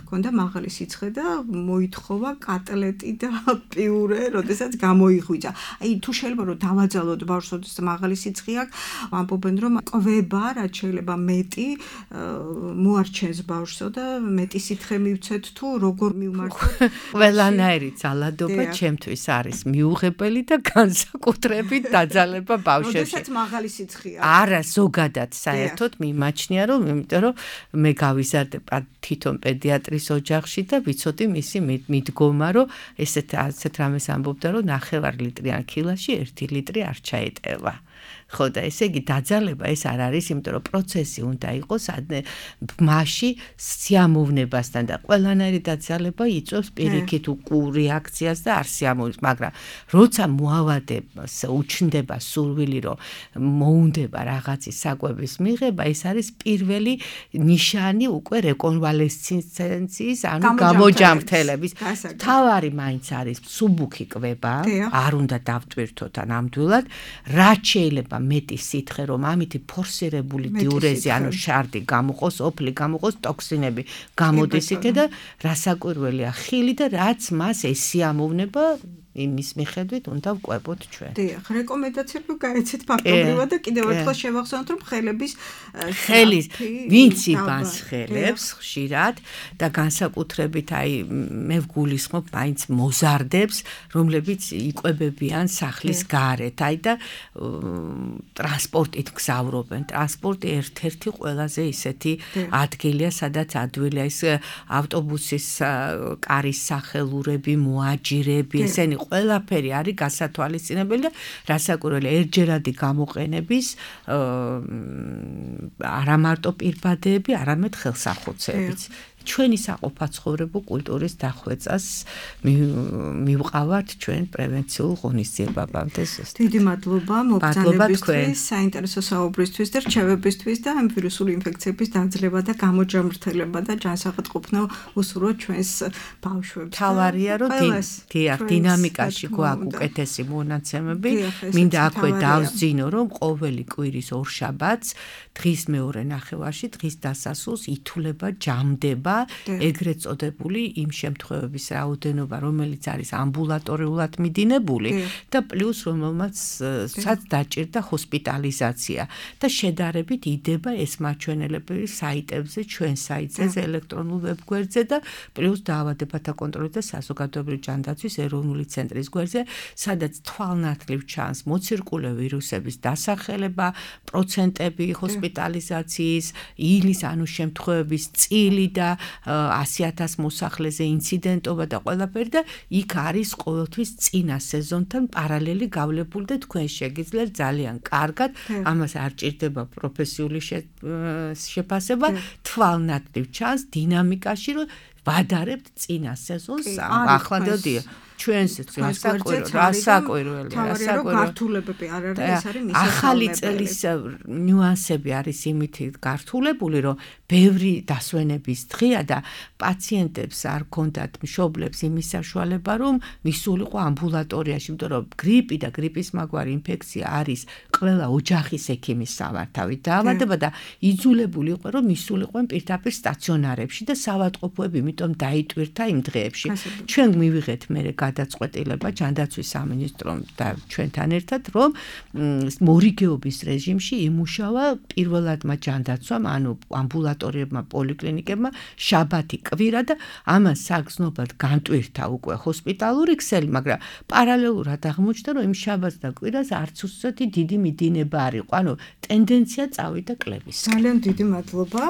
ქონდა მაღალი სიცხე და მოითხოვა კატლეტი და პიურე, როდესაც გამოიღვიძა. აი თუ შეიძლება რომ დავაძალოთ ბავშვს მაღალი სიცხე აქვს, ვამბობენ რომ ყვება, რაც შეიძლება მეტი მოარჩენს ბავშვსო და მეტი სითხე მივცეთ თუ როგორ მივმართოთ. ყველანაირი ძალადობა ჩემთვის არის მიუღებელი და განსაკუთრებით დაძალება ბავშვებში. როდესაც მაღალი სიცხე აქვს. არა, ზოგადად საერთოდ მიმაჩნია რომ იმიტომ რომ მე გავიზარდე თვითონ პედიატრის ოჯახში და ვიცოდი მისი მიდგომა რომ ესეთ რამეს ამბობდა რომ 9 ლიტრიან ქილაში 1 ლიტრი არ ჩაეტევა. ხო და ესე იგი დაძალება ეს არ არის, იმიტომ რომ პროცესი უნდა იყოს მასში სიამოვნებასთან და ყველანაირი დაძალება იწვევს პირიქით რეაქციას და არ სიამოვნებას, მაგრამ როცა მოავადებას უჩნდება სურვილი რომ მოუნდება რაღაცის საკვების მიღება, ეს არის პირველი ნიშანი უკვე რეკონვალესცენციის, ანუ გამოჯამრთელების. თავარი მაინც არის მსუბუქი კვება, არ უნდა დავტვირთოთ ნამდვილად, რაც შეიძლება მეტი სითხე რომ ამითი ფორსირებული დიურეზი, ანუ შარდი გამოყოს, ოფლი გამოყოს, ტოქსინები გამოდის იქე და რასაკვირველია ხილი და რაც მას ესიამოვნება იმის მიხედვით უნდა ვკვებოთ ჩვენ. დიახ, რეკომენდაციები გაიცეთ ფაქტობრივად და კიდევ ერთხელ შევახსენოთ, რომ ხელის ვინც იბანს ხელებს ხშირად და განსაკუთრებით მე ვგულისხმობ მაინც მოზარდებს, რომლებიც იკვებებიან სახლის გარეთ, და ტრანსპორტით გზავრობენ. ტრანსპორტი ერთ-ერთი ყველაზე ისეთი ადგილია, სადაც ადვილია ის ავტობუსის კარის სახელურები, მოაჯირები, ესენი ყველაფერი არის გასათვალისწინებელი და რასაკვირველია ერთჯერადი გამოყენების არა მარტო პირბადეები, არამედ ხელსახოცებიც. ჩვენი საყოფაცხოვრებო კულტურის დახვეწას მივყავართ ჩვენ პრევენციულ ღონისძიებებამდე. დიდი მადლობა მოგზაურობისთვის, საინტერესო საუბრისთვის და რჩევებისთვის და ამ ვირუსული ინფექციების დაძლევა და გამოჯამრთელება და ჯანსაღადყოფნა უსურვოთ ჩვენს ბავშვებს. თავარია რომ დინამიკაში გვაქვს უკეთესი მონაცემები, მინდა აქვე დავსძინო რომ ყოველი კვირის ორშაბათს დღის მეორე ნახევარში, დღის დასასრულს ითვლება ჯამდება ეგრეთ წოდებული იმ შემთხვევების რაოდენობა, რომელიც არის ამბულატორიულად მიდინებული და პლუს რომელმაც დაჭირდა ჰოსპიტალიზაცია და შედარებით იდება ეს მაჩვენებლები საიტებზე, ჩვენ საიტზე, ელექტრონულ ვებგვერდზე და პლუს დაავადებათა კონტროლის და საზოგადოებრივი ჯანდაცვის ეროვნული ცენტრის გვერდზე, სადაც თვალნათლივ ჩანს მოცირკულე ვირუსების დასახელება, პროცენტები ჰოსპიტალიზაციის, ილის ანუ შემთხვევების წილი და 100,000 მოსახლეზე ინციდენტობა და ყველაფერი და იქ არის ყოველთვის წინა სეზონთან პარალელი გავლებული და თქვენ შეგიძლიათ ძალიან კარგად, ამას არ ჭირდება პროფესიული შეფასება, თვალნათლივ ჩანს დინამიკაში, რომ ვადარებთ წინა სეზონს, ახლა დადია ჩვენს რასაკვირველია, გართულებები არ არის, ეს არის მისაღწევებელი. ახალი წლის ნიუანსები არის იმით გართულებული, რომ ბევრი დასვენების დღეა და პაციენტებს არ ქონდათ მშობლებს იმის საშუალება, რომ მისულიყო ამბულატორიაში, იმიტომ რომ გრიპი და გრიპის მაგვარი ინფექცია არის ყველა ოჯახის ექიმის სამართავით დაავადება და იძულებული იყო, რომ მისულიყვნენ პირდაპირ სტაციონარებში და საავადმყოფოები იმიტომ დაიტვირთა იმ დღეებში. ჩვენ მივიღეთ მერე გადაწყვეტილება ჯანდაცვის სამინისტრომ და ჩვენთან ერთად, რომ მორიგეობის რეჟიმში იმუშავა პირველადმა ჯანდაცვამ, ანუ ამბულატორიებმა, პოლიკლინიკებმა შაბათი, კვირა და ამას საგრძნობად განტვირთა უკვე ჰოსპიტალური ქსელი, მაგრამ პარალელურად აღმოჩნდა, რომ იმ შაბათს და კვირას არც უსწრეთი დიდი მიდინება არ იყო, ანუ ტენდენცია წავიდა კლების. ძალიან დიდი მადლობა.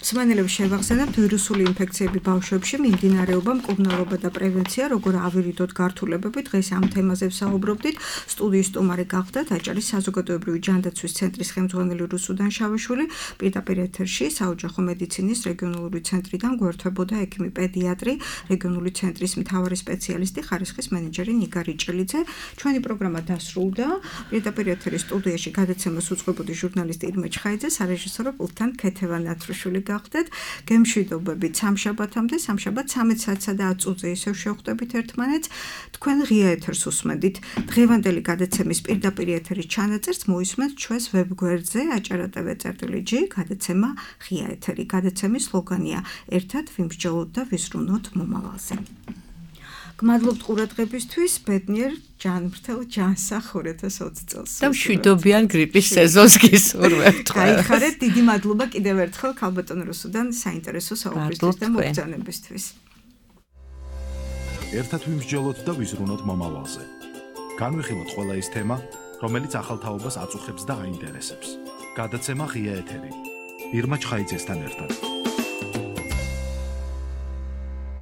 მსმენელებს შევახსენებთ ვირუსული ინფექციები ბავშვებში, მიმდინარეობა, მკურნალობა და პრევენცია, როგორ ავირიდოთ გართულებები. დღეს ამ თემაზე ვსაუბრობდით. სტუდიის სტუმარი გახდა დაჭერის საზოგადოებრივი ჯანდაცვის ცენტრის ხელმძღვანელი რუსუდან შავიშვილი. პირდაპირ ეთერში საოჯახო მედიცინის რეგიონალური ცენტრიდან გვერდებოდა ექიმი პედიატრი, რეგიონული ცენტრის მთავარი სპეციალისტი, ხარისხის მენეჯერი ნიგა რიჭელიძე. ჩვენი პროგრამა დასრულდა. პირდაპირ ეთერის სტუდიაში გადაცემას უწყებოდი ჟურნალისტი ირმე ჩხაიძე, სარეჟისორო პულტთან ქეთევა ნათრუშვილი გახდეთ. გემშვიდობებით სამშაბათამდე, სამშაბათ 13 საათსა და 10 წუთზე ისევ შევხვდებით ერთმანეთს. თქვენ ღია ეთერს უსმენთ. დღევანდელი გადაცემის პირდაპირ ეთერის ჩანაწერს მოისმენთ ჩვენს ვებგვერდზე acara.tv.g გადაცემა ღია ეთერი. გადაცემის სლოგანია ერთად ვიმსჯელოთ და ვიზრუნოთ მომავალზე. გმადლობთ ყურადღებისთვის, ბედნიერ ჯანმრთელ ჯანსახ 2020 წელს. და მშვიდობიან გრიპის სეზონს გისურვებთ. გაიხარეთ, დიდი მადლობა კიდევ ერთხელ ქალბატონ რუსუდან საინტერესო საუბრისთვის და მოგზაურობისთვის. ერთად ვიმსჯელოთ და ვიზრუნოთ მომავალზე. განვიხილოთ ყველა ის თემა, რომელიც ახალთაობას აწუხებს და აინტერესებს. გადაცემა ღია ეთერი. ირმა ჩხაიძესთან ერთად.